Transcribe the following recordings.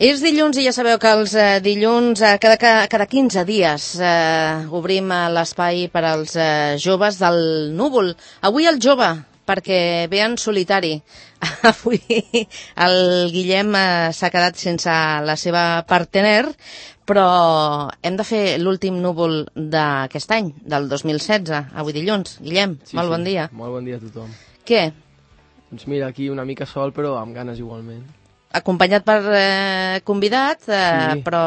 És dilluns i ja sabeu que els dilluns cada 15 dies obrim l'espai per als joves del Núvol. Avui el jove, perquè ve en solitari. Avui el Guillem s'ha quedat sense la seva partener, però hem de fer l'últim núvol d'aquest any, del 2016, avui dilluns. Guillem, molt bon dia. Molt bon dia a tothom. Què? Doncs mira, aquí una mica sol, però amb ganes igualment. Acompanyat per convidat, però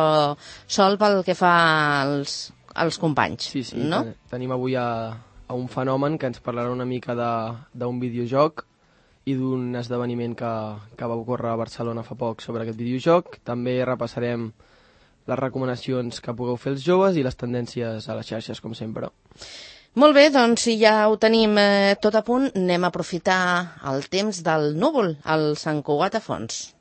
sol pel que fa als companys. Sí, no? Tenim avui a un fenomen que ens parlarà una mica d'un videojoc i d'un esdeveniment que va ocórrer a Barcelona fa poc sobre aquest videojoc. També repassarem les recomanacions que pugueu fer els joves i les tendències a les xarxes, com sempre. Molt bé, doncs si ja ho tenim tot a punt, anem a aprofitar el temps del núvol, al Sant Cugat a fons.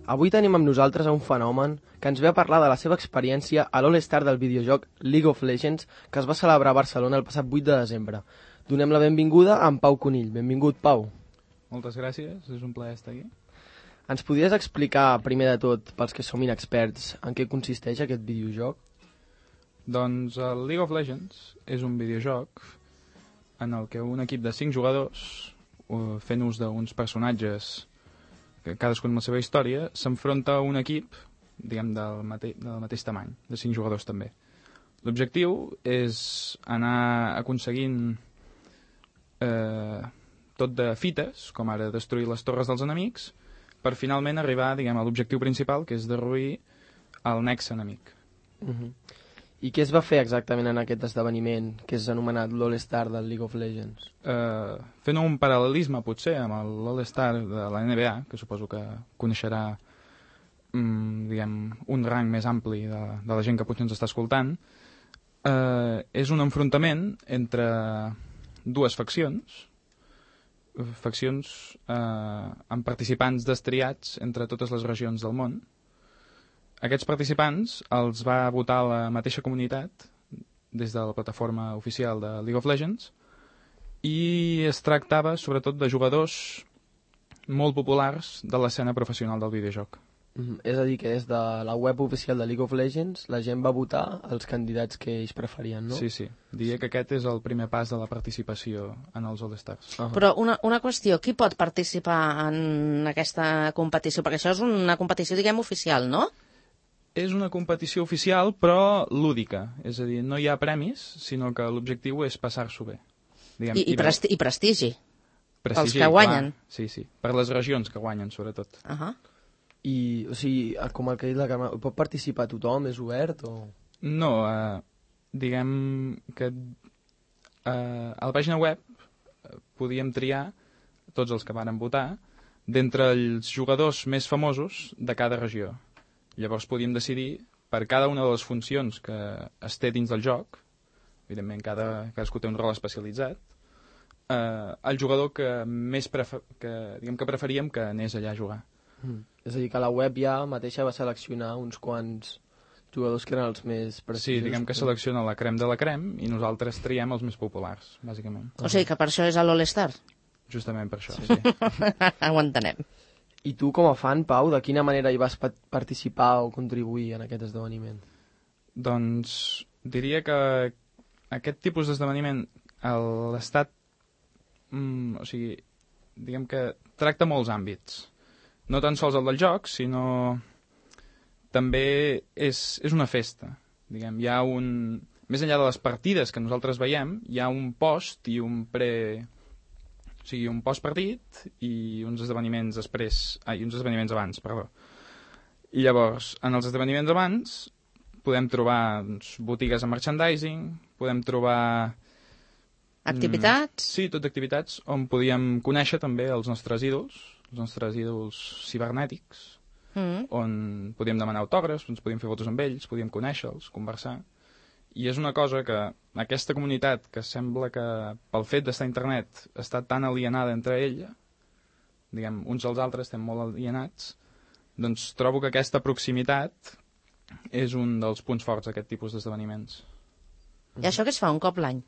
Avui tenim amb nosaltres un fenomen que ens ve a parlar de la seva experiència a l'All-Star del videojoc League of Legends que es va celebrar a Barcelona el passat 8 de desembre. Donem la benvinguda a en Pau Conill. Benvingut, Pau. Moltes gràcies, és un plaer estar aquí. Ens podries explicar, primer de tot, pels que som inexperts, en què consisteix aquest videojoc? Doncs el League of Legends és un videojoc en el que un equip de 5 jugadors, fent ús d'uns personatges, cadascun amb la seva història, s'enfronta a un equip, diguem, del mateix tamany, de 5 jugadors també. L'objectiu és anar aconseguint tot de fites, com ara destruir les torres dels enemics, per finalment arribar, diguem, a l'objectiu principal, que és derruir el nexe enemic. I què es va fer exactament en aquest esdeveniment, que és anomenat l'All-Star del League of Legends? Fent un paral·lelisme, potser, amb l'All-Star de la NBA, que suposo que coneixerà diguem, un rang més ampli de la gent que potser ens està escoltant, és un enfrontament entre dues faccions amb participants destriats entre totes les regions del món. Aquests participants els va votar la mateixa comunitat des de la plataforma oficial de League of Legends i es tractava sobretot de jugadors molt populars de l'escena professional del videojoc. És a dir, que des de la web oficial de League of Legends la gent va votar els candidats que ells preferien, no? Sí, sí. Diria que aquest és el primer pas de la participació en els All-Stars. Però una qüestió, qui pot participar en aquesta competició? Perquè això és una competició, diguem, oficial, no? És una competició oficial, però lúdica. És a dir, no hi ha premis, sinó que l'objectiu és passar-s'ho bé. Diguem, I prestigi. Prestigi, els que guanyen. Clar. Sí, sí. Per les regions que guanyen, sobretot. I, o sigui, com el que ha dit la Carme, pot participar tothom? És obert o...? No, diguem que a la pàgina web podíem triar tots els que varen votar d'entre els jugadors més famosos de cada regió. Llavors podíem decidir per cada una de les funcions que es té dins del joc, evidentment cadascú té un rol especialitzat, el jugador que més preferíem que anés allà a jugar. És a dir, que la web ja mateixa va seleccionar uns quants jugadors que eren els més precisos. Sí, diguem que selecciona la crem de la crem i nosaltres triem els més populars, bàsicament. O sigui que per això és l'All-Star? Justament per això, sí. Ho entenem. I tu, com a fan, Pau, de quina manera hi vas participar o contribuir en aquest esdeveniment? Doncs diria que aquest tipus d'esdeveniment l'Estat, o sigui, diguem que tracta molts àmbits. No tan sols el del joc, sinó també és una festa. Diguem, hi ha més enllà de les partides que nosaltres veiem, hi ha un post i un o sigui, un postpartit i uns esdeveniments abans, perdó. I llavors, en els esdeveniments abans podem trobar botigues amb merchandising, podem trobar... Activitats? Sí, tot activitats on podíem conèixer també els nostres ídols cibernètics, on podíem demanar autògrafs, ens podíem fer fotos amb ells, podíem conèixer-los, conversar. I és una cosa que aquesta comunitat, que sembla que pel fet d'estar a internet està tan alienada entre ella, diguem, uns als altres estem molt alienats, doncs trobo que aquesta proximitat és un dels punts forts d'aquest tipus d'esdeveniments. I això què es fa un cop l'any?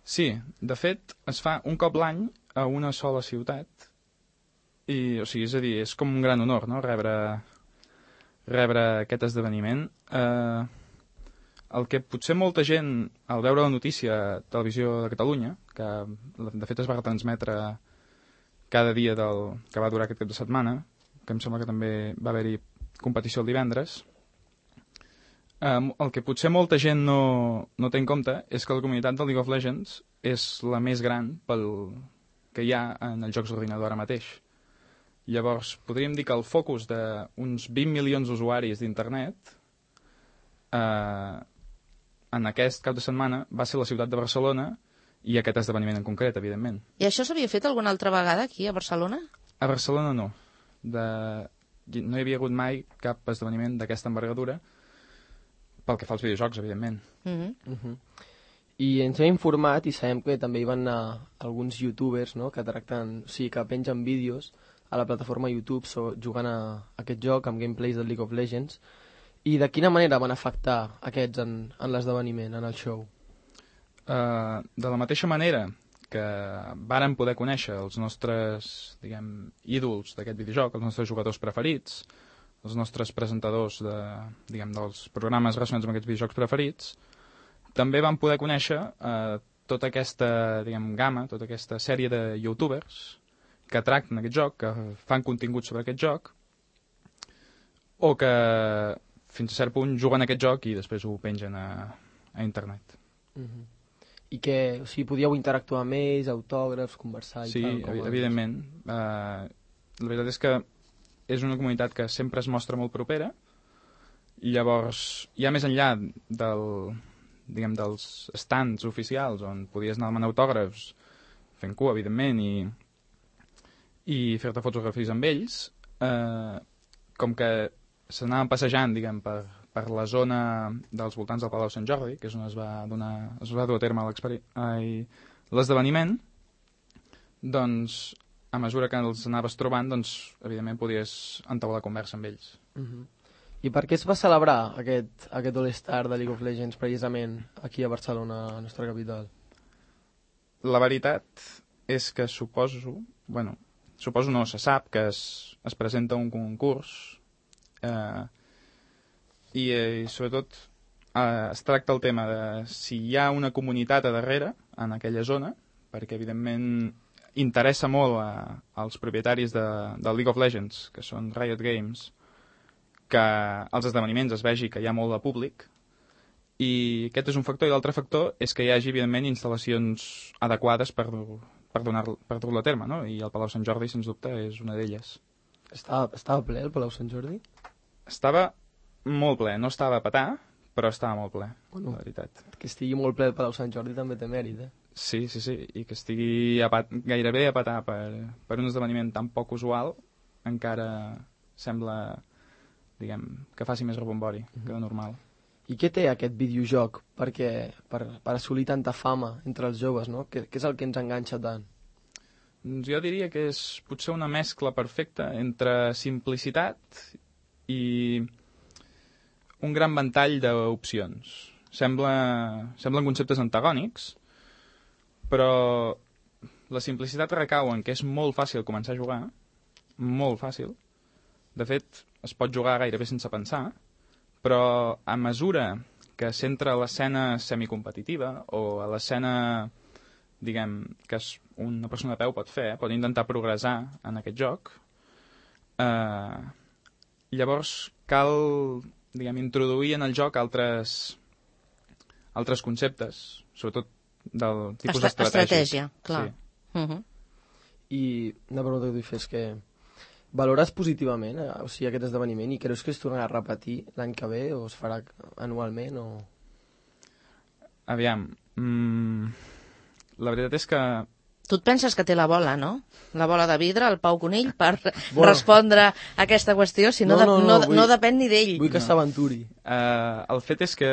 Sí, de fet, es fa un cop l'any a una sola ciutat. I, o sigui, és a dir, és com un gran honor, no?, rebre aquest esdeveniment. El que potser molta gent, al veure la notícia a Televisió de Catalunya, que de fet es va retransmetre cada dia que va durar aquest cap de setmana, que em sembla que també va haver-hi competició el divendres, el que potser molta gent no té en compte és que la comunitat del League of Legends és la més gran que hi ha en els jocs d'ordinador ara mateix. Llavors, podríem dir que el focus d'uns 20 milions d'usuaris d'internet en aquest cap de setmana va ser la ciutat de Barcelona i aquest esdeveniment en concret, evidentment. I això s'havia fet alguna altra vegada aquí a Barcelona? A Barcelona no. No hi havia hagut mai cap esdeveniment d'aquesta envergadura pel que fa als videojocs, evidentment. I ens hem informat i sabem que també hi van anar alguns youtubers, no?, que tracten, o sigui, que pengen vídeos a la plataforma YouTube jugant a aquest joc amb gameplays del League of Legends. I de quina manera van afectar aquests en l'esdeveniment, en el show? De la mateixa manera que vàrem poder conèixer els nostres, diguem, ídols d'aquest videojoc, els nostres jugadors preferits, els nostres presentadors dels programes relacionats amb aquests videojocs preferits, també vam poder conèixer tota aquesta, gamma, tota aquesta sèrie de youtubers que tracten aquest joc, que fan contingut sobre aquest joc, o que fins a cert punt juguen aquest joc i després ho pengen a internet. I que, o sigui, podíeu interactuar amb ells, autògrafs, conversar i tal? Sí, evidentment. La veritat és que és una comunitat que sempre es mostra molt propera, i llavors, ja més enllà dels stands oficials on podies anar a demanar autògrafs, fent cua, evidentment, i fer-te fotografies amb ells, com que s'anaven passejant, per la zona dels voltants del Palau Sant Jordi, que és on es va dur a terme l'esdeveniment, doncs, a mesura que els anaves trobant, doncs, evidentment podies entaular conversa amb ells. I per què es va celebrar aquest All-Star de League of Legends precisament aquí a Barcelona, a la nostra capital? La veritat és que suposo no, se sap que es presenta un concurs i sobretot es tracta el tema de si hi ha una comunitat a darrere en aquella zona, perquè evidentment interessa molt als propietaris del League of Legends, que són Riot Games, que als esdeveniments es vegi que hi ha molt de públic, i aquest és un factor, i l'altre factor és que hi hagi evidentment instal·lacions adequades per dur-lo a terme, no? I el Palau Sant Jordi, sens dubte, és una d'elles. Estava ple el Palau Sant Jordi? Estava molt ple, no estava a petar, però estava molt ple, la veritat. Que estigui molt ple el Palau Sant Jordi també té mèrit, eh? Sí, i que estigui gairebé a petar per un esdeveniment tan poc usual, encara sembla, que faci més rebombori que de normal. I què té aquest videojoc per assolir tanta fama entre els joves, no? Què és el que ens enganxa tant? Jo diria que és potser una mescla perfecta entre simplicitat i un gran ventall d'opcions. Semblen conceptes antagònics, però la simplicitat recau en que és molt fàcil començar a jugar, molt fàcil. De fet, es pot jugar gairebé sense pensar, però a mesura que s'entra a l'escena semicompetitiva o a l'escena, que una persona a peu pot fer, pot intentar progressar en aquest joc, llavors cal, introduir en el joc altres conceptes, sobretot del tipus estratègic. Estratègia, clar. Sí. I una pregunta que t'hi fes que valores positivament aquest esdeveniment i creus que es tornarà a repetir l'any que ve o es farà anualment o... Aviam, la veritat és que... Tu et penses que té la bola, no? La bola de vidre, el Pau Conill, per respondre a aquesta qüestió, si no depèn ni d'ell. Vull que s'aventuri. El fet és que,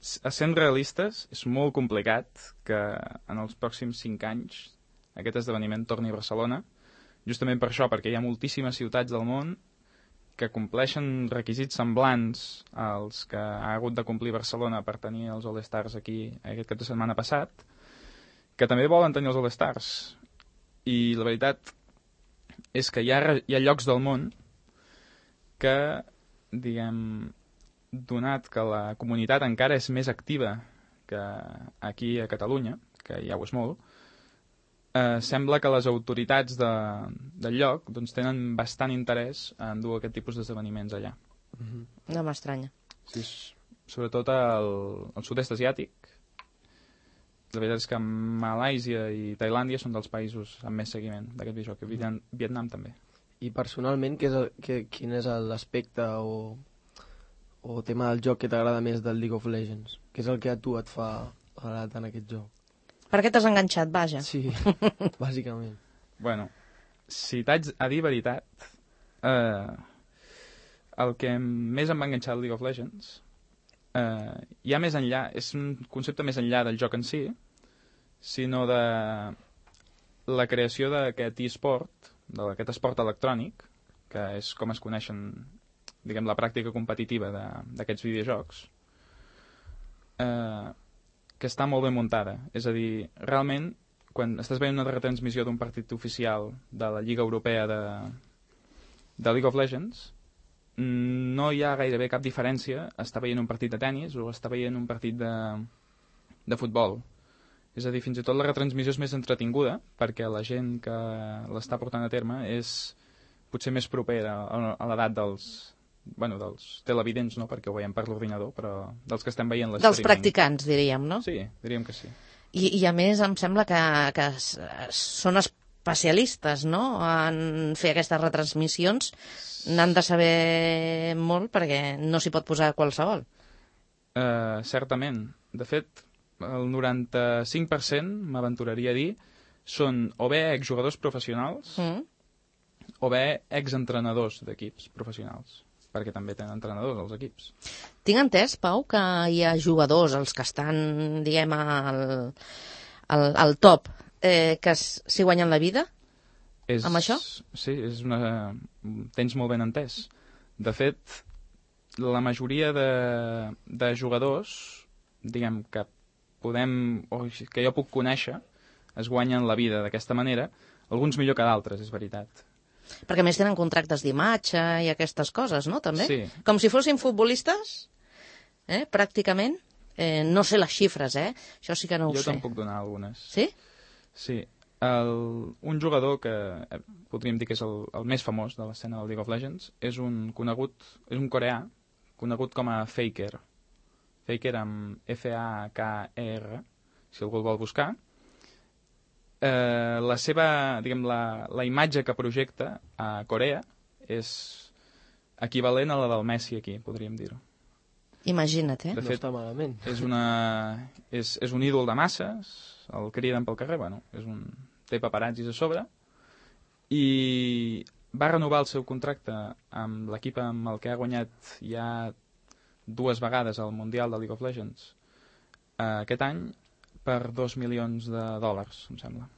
sent realistes, és molt complicat que en els pròxims 5 anys aquest esdeveniment torni a Barcelona, justament per això, perquè hi ha moltíssimes ciutats del món que compleixen requisits semblants als que ha hagut de complir Barcelona per tenir els All-Stars aquí aquest cap de setmana passat, que també volen tenir els All-Stars. I la veritat és que hi ha llocs del món que, diguem, donat que la comunitat encara és més activa que aquí a Catalunya, que ja ho és molt, sembla que les autoritats del lloc doncs, tenen bastant interès en dur aquest tipus d'esdeveniments allà. No m'estranya. Sí, sobretot al sud-est asiàtic. La veritat és que Malàisia i Tailàndia són dels països amb més seguiment d'aquest videojoc, i Vietnam també. I personalment, quin és l'aspecte o tema del joc que t'agrada més del League of Legends? Què és el que a tu et fa agradar tant aquest joc? Per què t'has enganxat, vaja? Sí, bàsicament. Bueno, si t'haig a dir veritat, el que més em va enganxar al League of Legends ja més enllà, és un concepte més enllà del joc en si, sinó de la creació d'aquest e-sport, d'aquest esport electrònic, que és com es coneixen, diguem, la pràctica competitiva d'aquests videojocs, que està molt ben muntada. És a dir, realment, quan estàs veient una retransmissió d'un partit oficial de la Lliga Europea de League of Legends, no hi ha gairebé cap diferència estar veient un partit de tennis o estar veient un partit de futbol. És a dir, fins i tot la retransmissió és més entretinguda, perquè la gent que l'està portant a terme és potser més propera a l'edat dels televidents, no perquè ho veiem per l'ordinador, però dels que estem veient l'experiment. Dels practicants, diríem, no? Sí, diríem que sí. I a més em sembla que són especialistes, no?, en fer aquestes retransmissions. N'han de saber molt perquè no s'hi pot posar qualsevol. Certament. De fet, el 95%, m'aventuraria a dir, són o bé exjugadors professionals o bé exentrenadors d'equips professionals, perquè també tenen entrenadors als equips. Tinc entès, Pau, que hi ha jugadors, els que estan, diguem, al top, que s'hi guanyen la vida amb això? Sí, tens molt ben entès. De fet, la majoria de jugadors, diguem, que que jo puc conèixer, es guanyen la vida d'aquesta manera, alguns millor que d'altres, és veritat. Perquè més tenen contractes d'imatge i aquestes coses, no?, també? Sí. Com si fossin futbolistes, pràcticament. No sé les xifres, això sí que no ho sé. Jo te'n puc donar algunes. Sí? Sí. Un jugador que podríem dir que és el més famós de l'escena del League of Legends és un coreà conegut com a Faker. Faker amb F-A-K-E-R, si algú el vol buscar. La seva, diguem, la imatge que projecta a Corea és equivalent a la del Messi aquí, podríem dir-ho. Imagina't, De fet, no està malament. És un ídol de masses, el criden pel carrer, té paparazzis a sobre, i va renovar el seu contracte amb l'equip amb el que ha guanyat ja 2 vegades al Mundial de League of Legends aquest any per $2 milions, em sembla.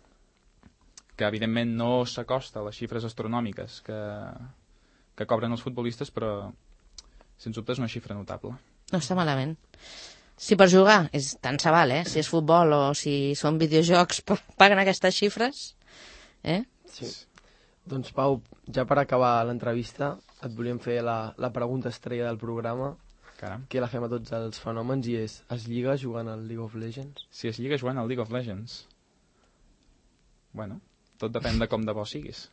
Que, evidentment, no s'acosta a les xifres astronòmiques que cobren els futbolistes, però, sens dubte, és una xifra notable. No està malament. Si per jugar, tant se val, si és futbol o si són videojocs, paguen aquestes xifres, Sí. Doncs, Pau, ja per acabar l'entrevista, et volíem fer la pregunta estrella del programa, Caram. que la fem a tots els fenòmens, i és: es lliga jugant al League of Legends? Si es lliga jugant al League of Legends? Bueno, tot depèn de com de bo siguis.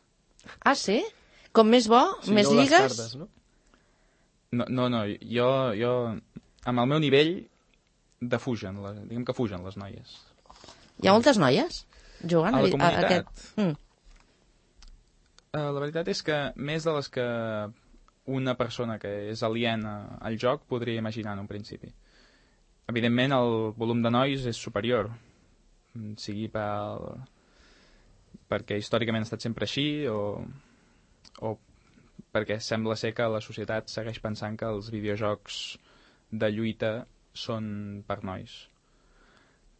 Ah, sí? Com més bo, més no lligues? Cartes, no? No, jo amb el meu nivell defugen, diguem que fugen les noies. Hi ha moltes noies jugant a la comunitat? aquest? La veritat és que més de les que una persona que és aliena al joc podria imaginar en un principi. Evidentment, el volum de nois és superior, sigui perquè històricament ha estat sempre així o perquè sembla ser que la societat segueix pensant que els videojocs de lluita són per nois.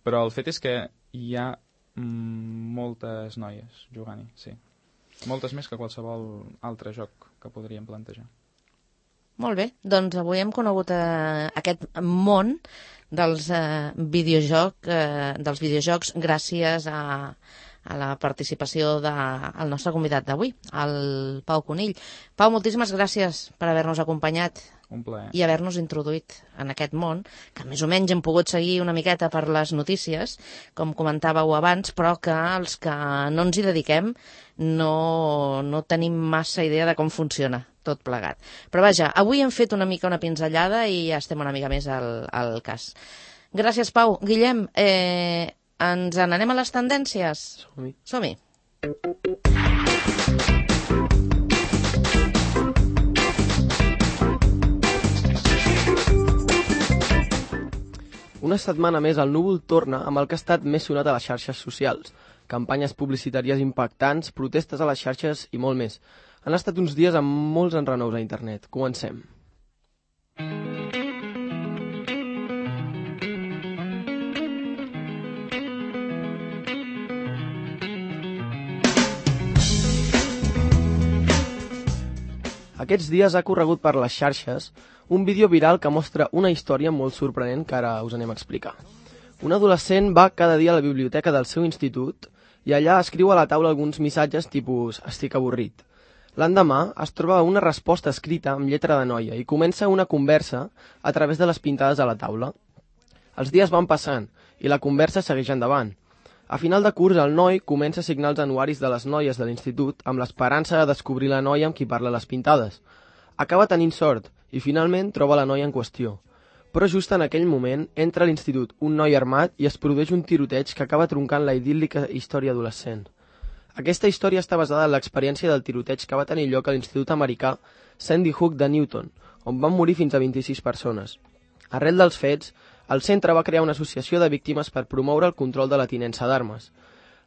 Però el fet és que hi ha moltes noies jugant-hi, sí. Moltes més que qualsevol altre joc que podríem plantejar. Molt bé, doncs avui hem conegut aquest món dels videojocs gràcies a la participació del nostre convidat d'avui, el Pau Conill. Pau, moltíssimes gràcies per haver-nos acompanyat. Un plaer. I haver-nos introduït en aquest món, que més o menys hem pogut seguir una miqueta per les notícies, com comentàveu abans, però que els que no ens hi dediquem no tenim massa idea de com funciona tot plegat. Però vaja, avui hem fet una mica una pinzellada i ja estem una mica més al cas. Gràcies, Pau. Guillem, ens n'anem a les tendències? Som-hi. Som-hi. Una setmana més el núvol torna amb el que ha estat més sonat a les xarxes socials. Campanyes publicitàries impactants, protestes a les xarxes i molt més. Han estat uns dies amb molts enrenous a internet. Comencem. Aquests dies ha corregut per les xarxes un vídeo viral que mostra una història molt sorprenent que ara us anem a explicar. Un adolescent va cada dia a la biblioteca del seu institut i allà escriu a la taula alguns missatges tipus «estic avorrit». L'endemà es troba una resposta escrita amb lletra de noia i comença una conversa a través de les pintades a la taula. Els dies van passant i la conversa segueix endavant. A final de curs, el noi comença a signar els anuaris de les noies de l'institut amb l'esperança de descobrir la noia amb qui parla a les pintades. Acaba tenint sort i finalment troba la noia en qüestió. Però just en aquell moment entra a l'institut un noi armat i es produeix un tiroteig que acaba troncant la idíl·lica història adolescent. Aquesta història està basada en l'experiència del tiroteig que va tenir lloc a l'institut americà Sandy Hook de Newton, on van morir fins a 26 persones. Arrel dels fets, el centre va crear una associació de víctimes per promoure el control de la tinença d'armes.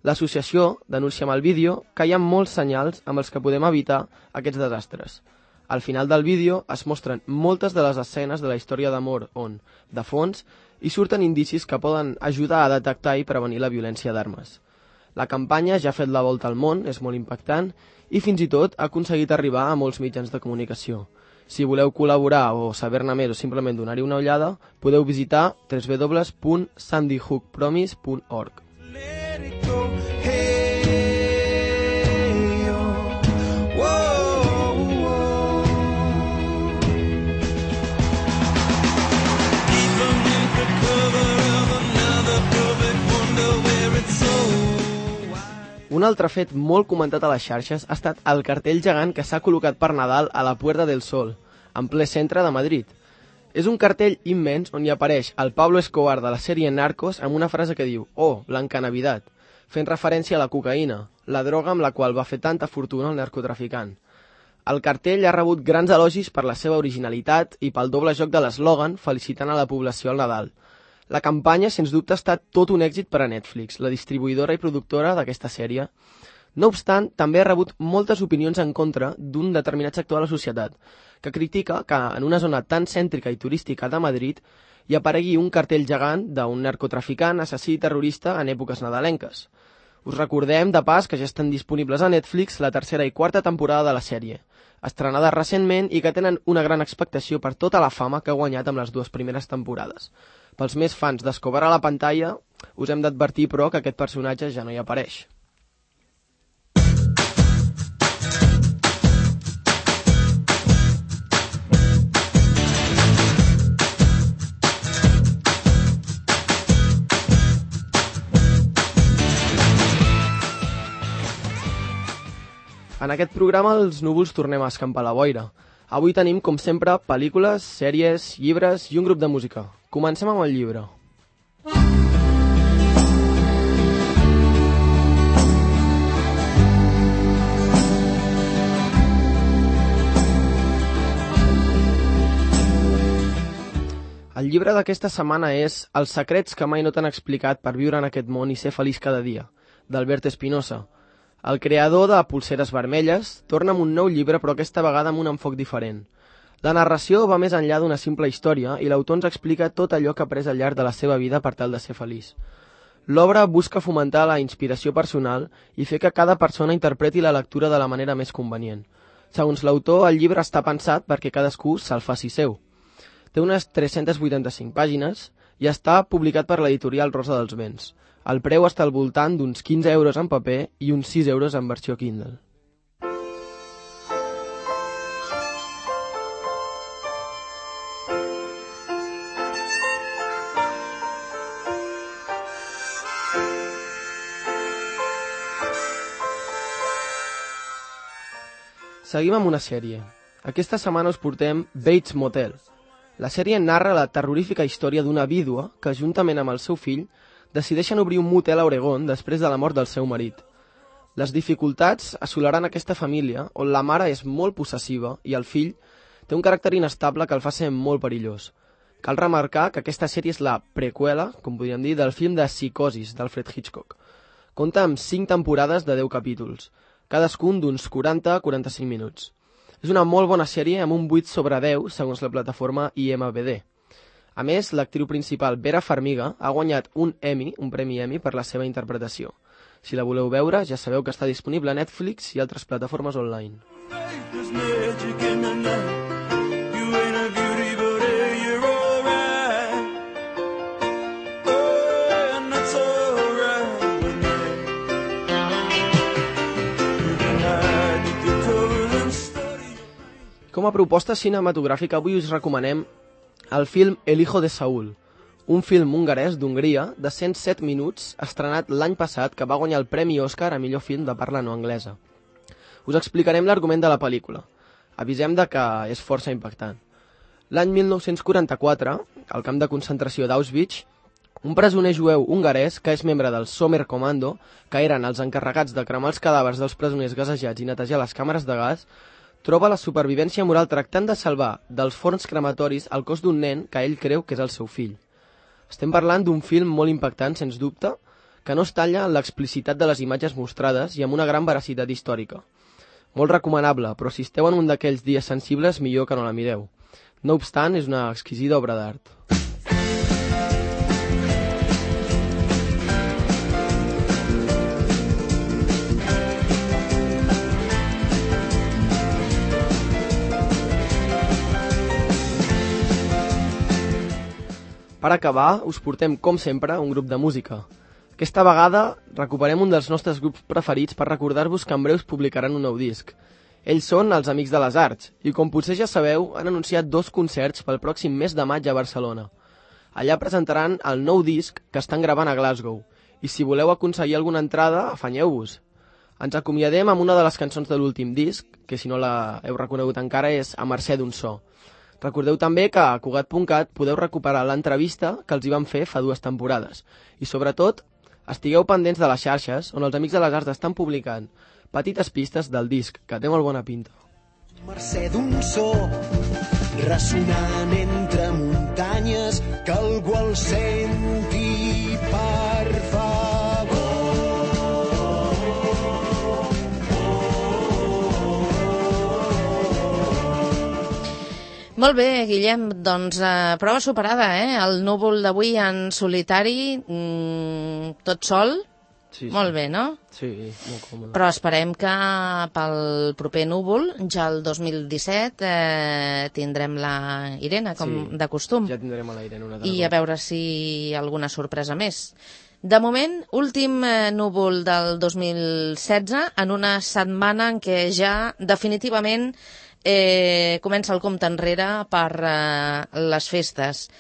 L'associació denuncia amb el vídeo que hi ha molts senyals amb els que podem evitar aquests desastres. Al final del vídeo es mostren moltes de les escenes de la història d'amor on, de fons, hi surten indicis que poden ajudar a detectar i prevenir la violència d'armes. La campanya ja ha fet la volta al món, és molt impactant, i fins i tot ha aconseguit arribar a molts mitjans de comunicació. Si voleu col·laborar o saber-ne més o simplement donar-hi una ullada, podeu visitar www.sandyhookpromise.org. Un altre fet molt comentat a les xarxes ha estat el cartell gegant que s'ha col·locat per Nadal a la Puerta del Sol, en ple centre de Madrid. És un cartell immens on hi apareix el Pablo Escobar de la sèrie Narcos amb una frase que diu «Oh, Blanca Navidad», fent referència a la cocaïna, la droga amb la qual va fer tanta fortuna el narcotraficant. El cartell ha rebut grans elogis per la seva originalitat i pel doble joc de l'eslògan felicitant a la població al Nadal. La campanya, sens dubte, ha estat tot un èxit per a Netflix, la distribuïdora i productora d'aquesta sèrie. No obstant, també ha rebut moltes opinions en contra d'un determinat sector de la societat, que critica que en una zona tan cèntrica i turística de Madrid hi aparegui un cartell gegant d'un narcotraficant, assassí i terrorista en èpoques nadalenques. Us recordem, de pas, que ja estan disponibles a Netflix la tercera i quarta temporada de la sèrie, estrenada recentment i que tenen una gran expectació per tota la fama que ha guanyat amb les dues primeres temporades. Pels més fans d'Escobar a la pantalla, us hem d'advertir, però, que aquest personatge ja no hi apareix. En aquest programa els núvols tornem a escampar la boira. Avui tenim, com sempre, pel·lícules, sèries, llibres i un grup de música. Comencem amb el llibre. El llibre d'aquesta setmana és Els secrets que mai no t'han explicat per viure en aquest món i ser feliç cada dia, d'Albert Espinosa. El creador de Polseres Vermelles torna amb un nou llibre, però aquesta vegada amb un enfoc diferent. La narració va més enllà d'una simple història i l'autor ens explica tot allò que ha après al llarg de la seva vida per tal de ser feliç. L'obra busca fomentar la inspiració personal i fer que cada persona interpreti la lectura de la manera més convenient. Segons l'autor, el llibre està pensat perquè cadascú se'l faci seu. Té unes 385 pàgines i està publicat per l'editorial Rosa dels Vents. El preu està al voltant d'uns 15 euros en paper i uns 6 euros en versió Kindle. Seguim amb una sèrie. Aquesta setmana us portem Bates Motel. La sèrie narra la terrorífica història d'una vídua que, juntament amb el seu fill, decideixen obrir un motel a Oregon després de la mort del seu marit. Les dificultats assolaran aquesta família, on la mare és molt possessiva i el fill té un caràcter inestable que el fa ser molt perillós. Cal remarcar que aquesta sèrie és la preqüela, com podríem dir, del film de Psicosis, d'Alfred Hitchcock. Compta amb 5 temporades de 10 capítols, cadascun d'uns 40-45 minuts. És una molt bona sèrie amb un 8 sobre 10 segons la plataforma IMDb. A més, l'actriu principal Vera Farmiga ha guanyat un premi Emmy per la seva interpretació. Si la voleu veure, ja sabeu que està disponible a Netflix i altres plataformes online. Com a proposta cinematogràfica, avui us recomanem el film El hijo de Saúl, un film hongarès d'Hongria de 107 minuts estrenat l'any passat que va guanyar el Premi Òscar a millor film de parla no anglesa. Us explicarem l'argument de la pel·lícula. Avisem de que és força impactant. L'any 1944, al camp de concentració d'Auschwitz, un presoner jueu hongarès que és membre del Sommerkommando, que eren els encarregats de cremar els cadàvers dels presoners gasejats i netejar les càmeres de gas, troba la supervivència moral tractant de salvar dels forns crematoris el cos d'un nen que ell creu que és el seu fill. Estem parlant d'un film molt impactant, sens dubte, que no es talla en l'explicitat de les imatges mostrades i amb una gran veracitat històrica. Molt recomanable, però si esteu en un d'aquells dies sensibles, millor que no la mireu. No obstant, és una exquisida obra d'art. Per acabar, us portem, com sempre, un grup de música. Aquesta vegada recuperem un dels nostres grups preferits per recordar-vos que en breu publicaran un nou disc. Ells són els Amics de les Arts i, com potser ja sabeu, han anunciat 2 concerts pel pròxim mes de maig a Barcelona. Allà presentaran el nou disc que estan gravant a Glasgow i si voleu aconseguir alguna entrada, afanyeu-vos. Ens acomiadem amb una de les cançons de l'últim disc, que si no la heu reconegut encara és A mercè d'un so. Recordeu també que a Cugat.cat podeu recuperar l'entrevista que els hi van fer fa 2 temporades. I sobretot, estigueu pendents de les xarxes on els Amics de les Arts estan publicant petites pistes del disc, que té molt bona pinta. Mercè d'un so ressonant entre muntanyes que algú el senti per favor. Molt bé, Guillem, doncs prova superada, El núvol d'avui en solitari, tot sol, Sí. molt bé, no? Sí, molt còmode. Però esperem que pel proper núvol, ja el 2017, tindrem la Irene, com de costum. Ja tindrem a la Irene una altra I a veure si alguna sorpresa més. De moment, últim núvol del 2016, en una setmana en què ja definitivament comença el compte enrere per les festes.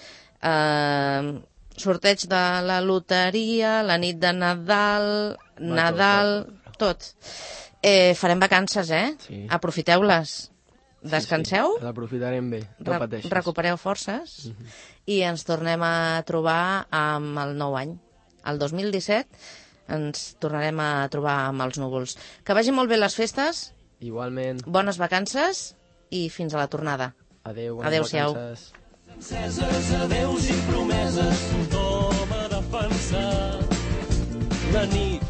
Sorteig de la loteria, la nit de Nadal, tot. Farem vacances, Sí. Aprofiteu-les. Descanseu, Sí. L'aprofitarem bé, no pateixis. recupereu forces i ens tornem a trobar amb el nou any. El 2017 ens tornarem a trobar amb els núvols. Que vagin molt bé les festes, Igualment. bones vacances i fins a la tornada. Adéu, bones Adéu-siau. vacances. Enceses, adeus i promeses, tothom ha de pensar. La nit